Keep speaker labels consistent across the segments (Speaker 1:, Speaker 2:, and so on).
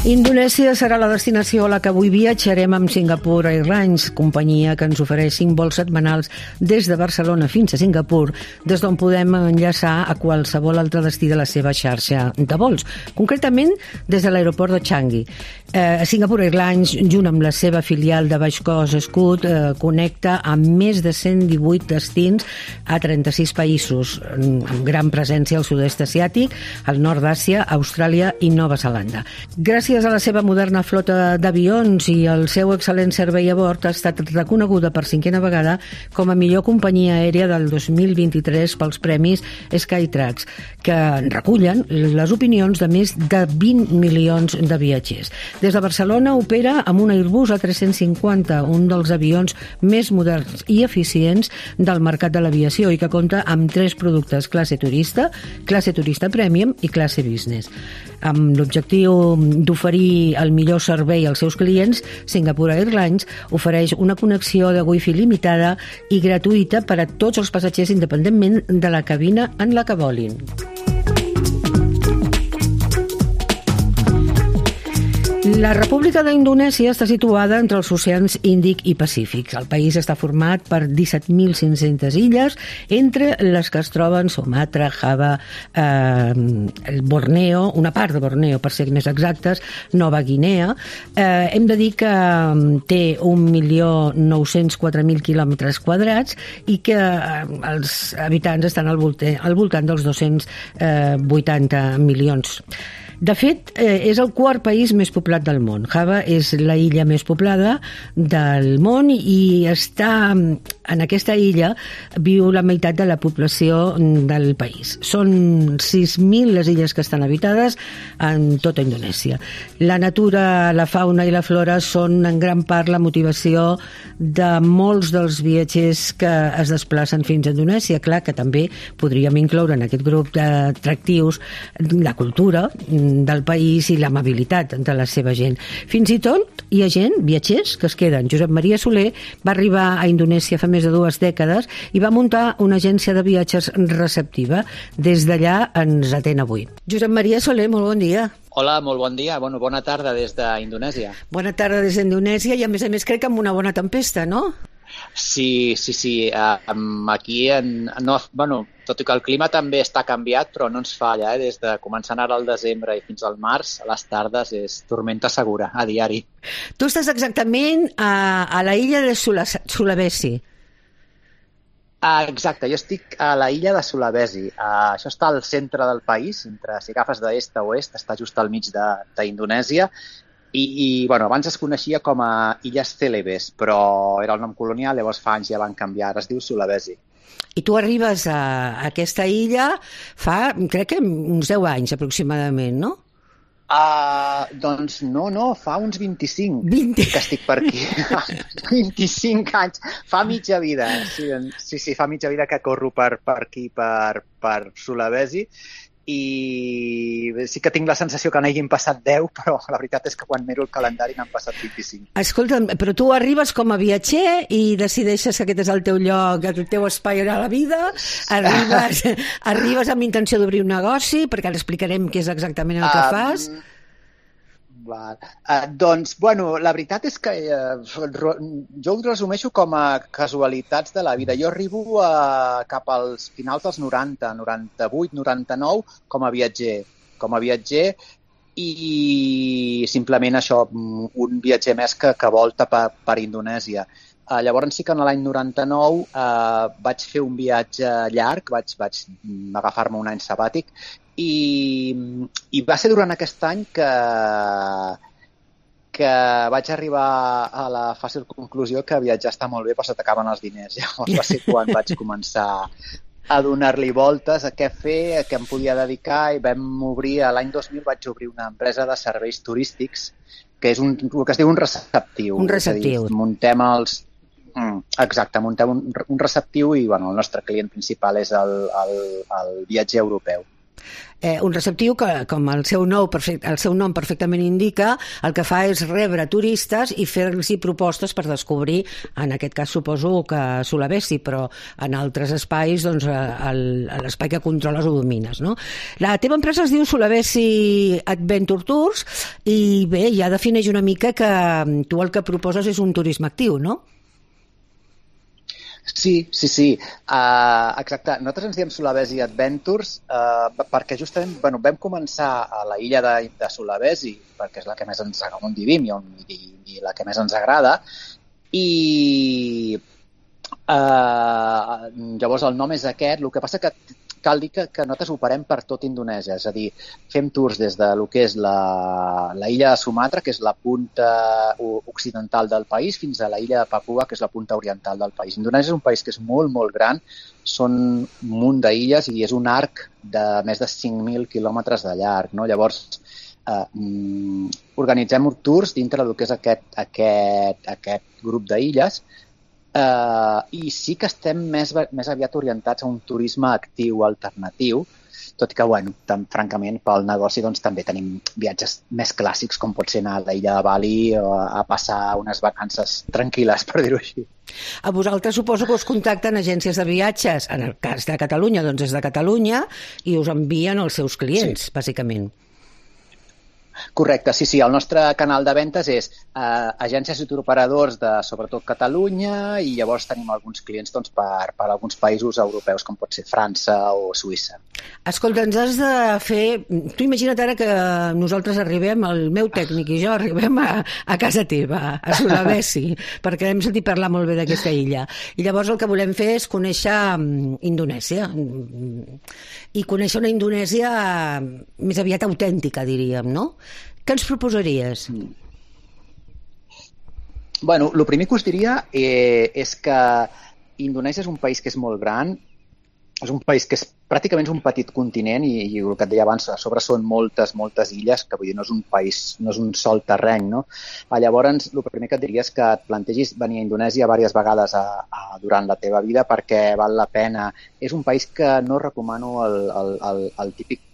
Speaker 1: Indonèsia serà la destinació a la que avui viatjarem amb Singapore Airlines, companyia que ens ofereix 5 vols setmanals des de Barcelona fins a Singapur, des d'on podem enllaçar a qualsevol altre destí de la seva xarxa de vols, concretament des de l'aeroport de Changi. Singapore Airlines, junt amb la seva filial de baix cost Scoot, connecta amb més de 118 destins a 36 països, amb gran presència al sud-est asiàtic, al nord d'Àsia, Austràlia i Nova Zelanda. Gràcies a la seva moderna flota d'avions i el seu excel·lent servei a bord, ha estat reconeguda per 5a vegada com a millor companyia aèria del 2023 pels premis Skytrax, que recullen les opinions de més de 20 milions de viatgers. Des de Barcelona opera amb un Airbus A350, un dels avions més moderns i eficients del mercat de l'aviació i que compta amb 3 productes: classe turista premium i classe business. Amb l'objectiu d'oferir el millor servei als seus clients, Singapore Airlines ofereix una connexió de Wi-Fi limitada i gratuïta per a tots els passatgers independentment de la cabina en la que volin. La República d'Indonèsia està situada entre els oceans Índic i Pacífic. El país està format per 17.500 illes, entre les que es troben Sumatra, Java, Borneo, una part de Borneo, per ser més exactes, Nova Guinea. Hem de dir que té 1.904.000 quilòmetres quadrats i que els habitants estan al voltant dels 280 milions. De fet, és el quart país més poblat del món. Java és la illa més poblada del món i en aquesta illa viu la meitat de la població del país. Són 6.000 les illes que estan habitades en tota Indonèsia. La natura, la fauna i la flora són en gran part la motivació de molts dels viatgers que es desplacen fins a Indonèsia. Clar que també podríem incloure en aquest grup d'atractius la cultura del país i l'amabilitat de la seva gent. Fins i tot hi ha gent, viatgers, que es queden. Josep Maria Soler va arribar a Indonèsia fa més de 2 dècades i va muntar una agència de viatges receptiva. Des d'allà ens atén avui. Josep Maria Soler, molt bon dia.
Speaker 2: Hola, molt bon dia. Bona tarda des d'Indonèsia.
Speaker 1: Bona tarda des d'Indonèsia i a més crec que amb una bona tempesta, no?
Speaker 2: Sí. Aquí, tot i que el clima també està canviat, però no ens falla. Des de començant ara al desembre i fins al març, a les tardes és tormenta segura, a diari.
Speaker 1: Tu estàs exactament a la illa de Sulawesi.
Speaker 2: Exacte, jo estic a la illa de Sulawesi. Això està al centre del país, si agafes d'est a oest, està just al mig d'Indonèsia. I abans es coneixia com a Illes Celebes, però era el nom colonial, llavors fa anys ja van canviar, ara es diu Sulawesi.
Speaker 1: I tu arribes a aquesta illa fa, crec que uns 10 anys aproximadament, no?
Speaker 2: Doncs no, fa uns 25 que estic per aquí. 25 anys, fa mitja vida. Sí, fa mitja vida que corro per aquí, per Sulawesi. I sí que tinc la sensació que n'hagin passat 10, però la veritat és que quan miro el calendari n'han passat 25.
Speaker 1: Escolta'm, però tu arribes com a viatger i decideixes que aquest és el teu lloc, el teu espai a la vida, arribes amb intenció d'obrir un negoci, perquè ara explicarem què és exactament el que fas.
Speaker 2: La veritat és que jo ho resumeixo com a casualitats de la vida. Jo arribo cap als finals dels 90, 98, 99, com a viatger i simplement això, un viatger més que volta per Indonèsia. Llavors sí que en l'any 99 vaig fer un viatge llarg, vaig agafar-me un any sabàtic i va ser durant aquest any que vaig arribar a la fàcil conclusió que viatjar està molt bé però se t'acaben els diners. Llavors va ser quan vaig començar a donar-li voltes a què fer, a què em podia dedicar i l'any 2000 vaig obrir una empresa de serveis turístics que és el que es diu un receptiu.
Speaker 1: Un receptiu.
Speaker 2: És a dir, muntem un receptiu i el nostre client principal és el viatger europeu.
Speaker 1: Un receptiu que, com el seu nom perfectament indica, el que fa és rebre turistes i fer-los propostes per descobrir, en aquest cas suposo que Sulawesi, però en altres espais, doncs, l'espai que controles o domines, no? La teva empresa es diu Sulawesi Adventure Tours i bé, ja defineix una mica que tu el que proposes és un turisme actiu, no?
Speaker 2: Sí. Exacte. Nosaltres ens diem Sulawesi Adventures perquè justament vam començar a la illa de Sulawesi, perquè és la que més ens agrada, on vivim i la que més ens agrada, i llavors el nom és aquest. El que passa que cal dir que nosaltres operem per tot Indonèsia, és a dir, fem tours des de lo que és la illa de Sumatra, que és la punta occidental del país, fins a la illa de Papua, que és la punta oriental del país. Indonèsia és un país que és molt, molt gran, són un munt d'illes i és un arc de més de 5.000 quilòmetres de llarg, no? Llavors, organitzem tours dintre del que és aquest grup d'illes, i sí que estem més aviat orientats a un turisme actiu, alternatiu, tot i que, francament, pel negoci doncs, també tenim viatges més clàssics, com pot ser anar a l'illa de Bali o a passar unes vacances tranquil·les, per dir-ho així.
Speaker 1: A vosaltres suposo que us contacten agències de viatges, en el cas de Catalunya, doncs des de Catalunya, i us envien els seus clients, bàsicament.
Speaker 2: Correcte, sí. El nostre canal de ventes és agències i turoperadors de, sobretot, Catalunya, i llavors tenim alguns clients doncs, per alguns països europeus, com pot ser França o Suïssa.
Speaker 1: Escolta, ens has de fer... Tu imagina't ara que nosaltres arribem, el meu tècnic i jo arribem a casa teva, a Sulawesi, perquè hem sentit parlar molt bé d'aquesta illa. I llavors el que volem fer és conèixer Indonèsia. I conèixer una Indonèsia més aviat autèntica, diríem, no? Què ens proposaries?
Speaker 2: El primer que us diria és que Indonèsia és un país que és molt gran, és un país que és pràcticament un petit continent i el que et deia abans, a sobre són moltes illes, que vull dir, no és un país, no és un sol terreny, no? Llavors, el primer que et diria és que et plantegis venir a Indonèsia diverses vegades durant la teva vida perquè val la pena. És un país que no recomano el típic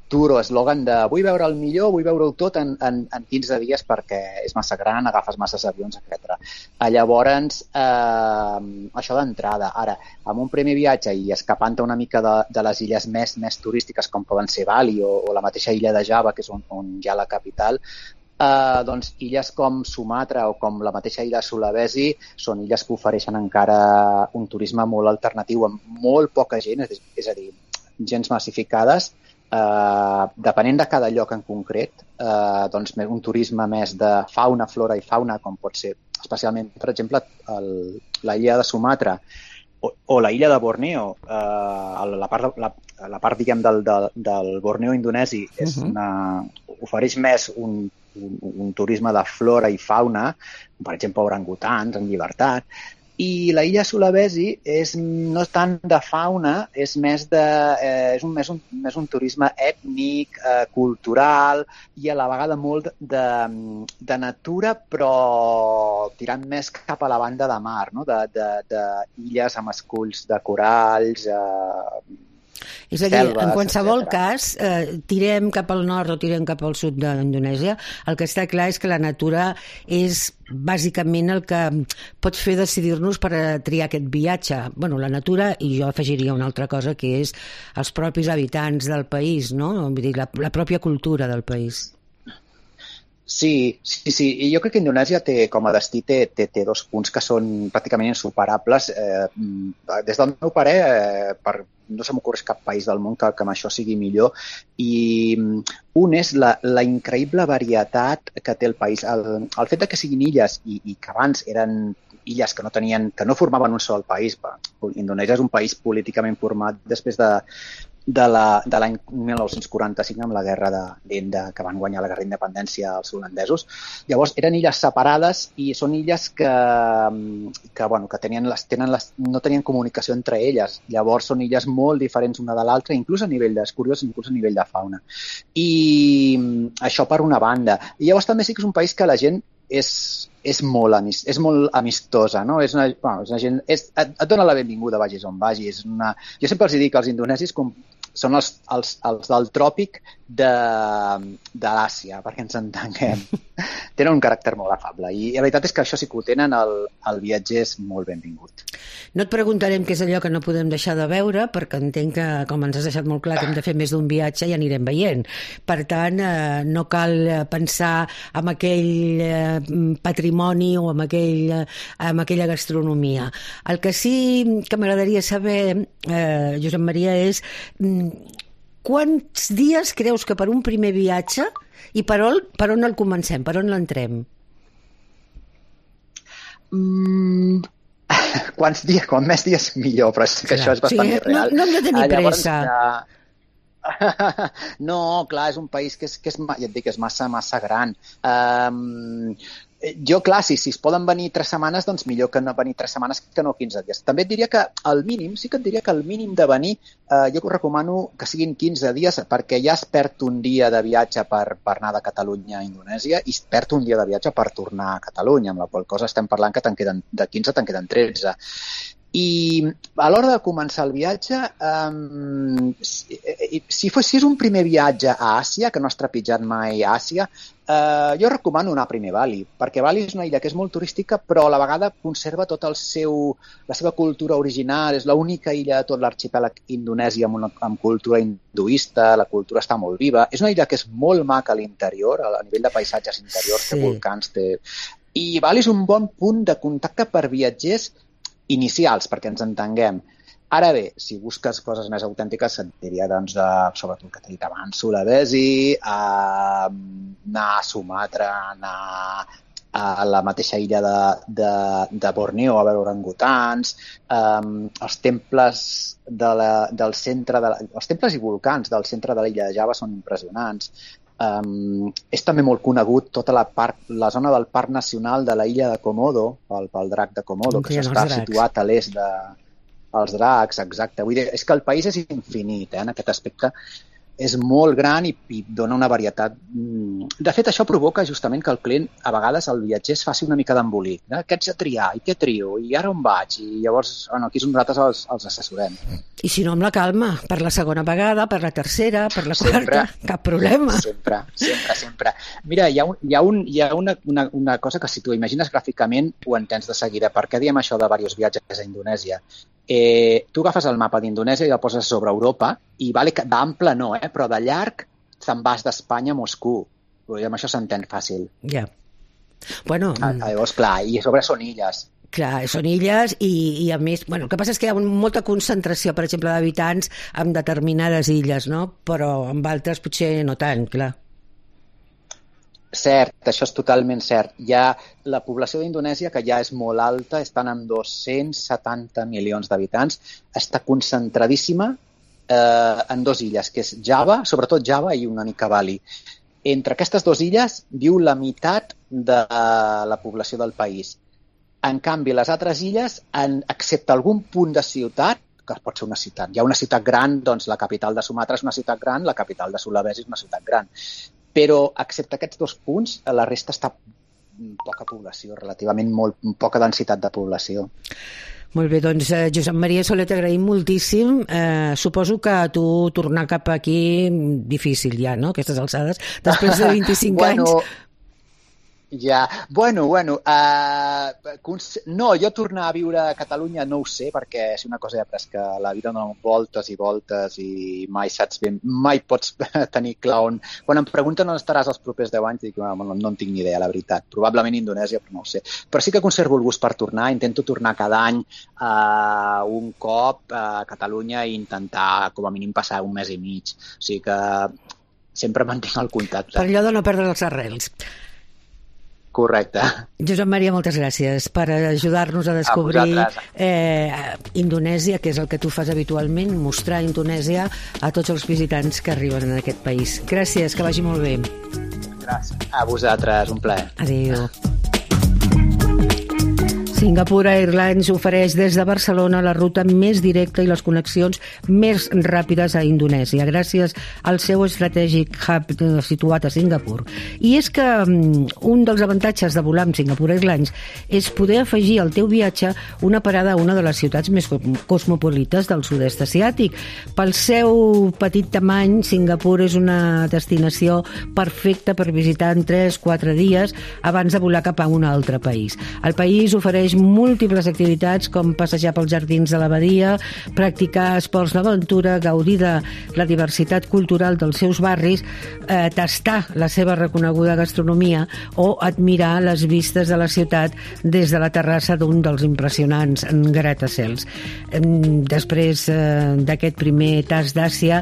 Speaker 2: tour o eslògan de vull veure el millor, vull veure-ho tot en 15 dies perquè és massa gran, agafes masses avions, etc. Llavors, això d'entrada. Ara, amb un primer viatge i escapant-te una mica de les illes més turístiques, com poden ser Bali o la mateixa illa de Java, que és on hi ha la capital, doncs illes com Sumatra o com la mateixa illa de Sulawesi són illes que ofereixen encara un turisme molt alternatiu, amb molt poca gent, és a dir, gens massificades, depenent de cada lloc en concret, doncs un turisme més de fauna, flora i fauna, com pot ser especialment, per exemple, la illa de Sumatra o la illa de Borneo, la part diguem, del Borneo indonesi ofereix més un turisme de flora i fauna, per exemple, orangutans en llibertat. I la illa Sulawesi no és tant de fauna, és més un turisme ètnic, cultural i a la vegada molt de natura, però tirant més cap a la banda de mar, no? D'illes amb esculls de coralls,
Speaker 1: és a dir, en qualsevol cas, tirem cap al nord o tirem cap al sud d'Indonèsia, el que està clar és que la natura és bàsicament el que pot fer decidir-nos per triar aquest viatge. La natura, i jo afegiria una altra cosa, que és els propis habitants del país, no? Vull dir, la pròpia cultura del país.
Speaker 2: Sí. I jo crec que Indonèsia com a destí té dos punts que són pràcticament insuperables. Des del meu parer, no se m'ocorre cap país del món que amb això sigui millor. I un és la increïble varietat que té el país. El fet que siguin illes i que abans eren illes que no formaven un sol país. Indonèsia és un país políticament format després de l'any 1945 amb la guerra d'Índia, que van guanyar la guerra d'independència als holandesos. Llavors, eren illes separades i són illes que no tenien comunicació entre elles. Llavors, són illes molt diferents una de l'altra, inclús a nivell inclús a nivell de fauna. I això per una banda. I llavors també sí que és un país que la gent és molt amistosa, no? És una gent, et dona la benvinguda, vagis on vagis. Jo sempre els dic als indonesis són els del tròpic de l'Àsia, perquè ens entenguem. Tenen un caràcter molt afable i la veritat és que això sí que ho tenen, el viatger és molt benvingut.
Speaker 1: No et preguntarem què és allò que no podem deixar de veure, perquè entenc que, com ens has deixat molt clar, que hem de fer més d'un viatge i anirem veient. Per tant, no cal pensar en aquell patrimoni o en aquella gastronomia. El que sí que m'agradaria saber, Josep Maria, és quants dies creus que per un primer viatge i per on el comencem, per on l'entrem?
Speaker 2: Quants dies, com més dies millor, però és que això és bastant irreal.
Speaker 1: No hem de tenir pressa.
Speaker 2: No, clar, és un país que ja et dic, és massa gran. Jo, clar, si es poden venir 3 setmanes, doncs millor que no venir 3 setmanes que no 15 dies. També et diria que el mínim de venir, jo us recomano que siguin 15 dies, perquè ja es perd un dia de viatge per anar de Catalunya a Indonèsia i es perd un dia de viatge per tornar a Catalunya, amb la qual cosa estem parlant que de 15 te'n queden 13. I a l'hora de començar el viatge, si és un primer viatge a Àsia, que no has trepitjat mai a Àsia, jo recomano anar primer a Bali, perquè Bali és una illa que és molt turística, però a la vegada conserva tota la seva cultura original, és l'única illa de tot l'arxipèlag indonesi amb cultura hinduista, la cultura està molt viva, és una illa que és molt maca a l'interior, a nivell de paisatges interiors, té volcans, i Bali és un bon punt de contacte per viatgers inicials, perquè ens entenguem. Ara bé, si busques coses més autèntiques, et diria, doncs, sobretot el que t'he dit abans, Sulawesi, anar a Sumatra, anar a la mateixa illa de Borneo a veure orangutans, els temples del centre, els temples i volcans del centre de l'illa de Java són impressionants. És també molt conegut tota la zona del Parc Nacional de la illa de Komodo, pel drac de Komodo, que està situat a l'est dels dracs, exacte. Vull dir, és que el país és infinit, en aquest aspecte. És molt gran i dona una varietat. De fet, això provoca justament que el client, a vegades, el viatger es faci una mica d'embolic. Què haig de triar? I què trio? I ara on vaig? I llavors, aquí nosaltres els assessorem.
Speaker 1: I si no, amb la calma, per la segona vegada, per la tercera, per la quarta, cap problema. Sempre. Mira, hi ha una cosa que si tu imagines gràficament ho entens de seguida. Per què diem això de diversos viatges a Indonèsia? Tu agafes el mapa d'Indonèsia i el poses sobre Europa i d'ample no, però de llarg te'n vas d'Espanya a Moscou. I amb això s'entén fàcil. Ja. Bueno...
Speaker 2: Llavors, clar, i a sobre són illes.
Speaker 1: Clar, són illes i a més... Bueno, el que passa és que hi ha molta concentració, per exemple, d'habitants en determinades illes, no? Però amb altres potser no tant, clar.
Speaker 2: Cert, això és totalment cert. La població d'Indonèsia, que ja és molt alta, estan amb 270 milions d'habitants, està concentradíssima en 2 illes, que és Java, sobretot Java i una mica Bali. Entre aquestes 2 illes viu la meitat de la població del país. En canvi, les altres illes, excepte algun punt de ciutat, que pot ser una ciutat. Hi ha una ciutat gran, doncs la capital de Sumatra és una ciutat gran, la capital de Sulawesi és una ciutat gran. Però, excepte aquests 2 punts, la resta està poca població, relativament poca densitat de població.
Speaker 1: Molt bé, doncs Josep Maria Soler, t'agraïm moltíssim. Suposo que a tu tornar cap aquí difícil ja, no?, aquestes alçades, després de 25 anys.
Speaker 2: Ja, bueno, no, jo tornar a viure a Catalunya no ho sé, perquè és una cosa ja que la vida dona voltes i voltes i mai saps ben, mai pots tenir clar on... Quan em pregunten on estaràs els propers 10 anys, dic, no en tinc ni idea, la veritat. Probablement Indonèsia, però no ho sé. Però sí que conservo el gust per tornar, intento tornar cada any un cop a Catalunya i intentar com a mínim passar un mes i mig. O sigui que sempre mantinc el contacte.
Speaker 1: Per allò de no perdre els arrels.
Speaker 2: Correcte.
Speaker 1: Josep Maria, moltes gràcies per ajudar-nos a descobrir Indonèsia, que és el que tu fas habitualment, mostrar Indonèsia a tots els visitants que arriben en aquest país. Gràcies, que vagi molt bé.
Speaker 2: Gràcies. A vosaltres, un plaer.
Speaker 1: Adéu. Singapore Airlines ofereix des de Barcelona la ruta més directa i les connexions més ràpides a Indonèsia, gràcies al seu estratègic hub situat a Singapur. I és que un dels avantatges de volar amb Singapore Airlines és poder afegir al teu viatge una parada a una de les ciutats més cosmopolites del sud-est asiàtic. Pel seu petit tamany, Singapur és una destinació perfecta per visitar en 3-4 dies abans de volar cap a un altre país. El país ofereix múltiples activitats com passejar pels jardins de l'abadia, practicar esports d'aventura, gaudir de la diversitat cultural dels seus barris, tastar la seva reconeguda gastronomia o admirar les vistes de la ciutat des de la terrassa d'un dels impressionants gratacels. Després d'aquest primer tast d'Àsia,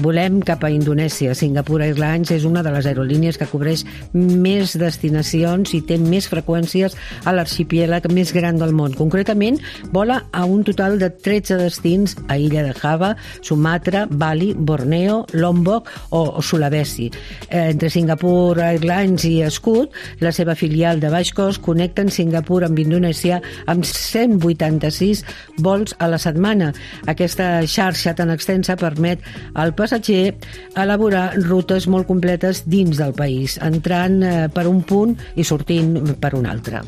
Speaker 1: volem cap a Indonèsia. Singapore Airlines és una de les aerolínies que cobreix més destinacions i té més freqüències a l'arxipièlag més gran del món. Concretament, vola a un total de 13 destins a Illa de Java, Sumatra, Bali, Borneo, Lombok o Sulawesi. Entre Singapore Airlines i Scoot, la seva filial de baix cost, connecten Singapur amb Indonèsia amb 186 vols a la setmana. Aquesta xarxa tan extensa permet al passatger elaborar rutes molt completes dins del país, entrant per un punt i sortint per un altre.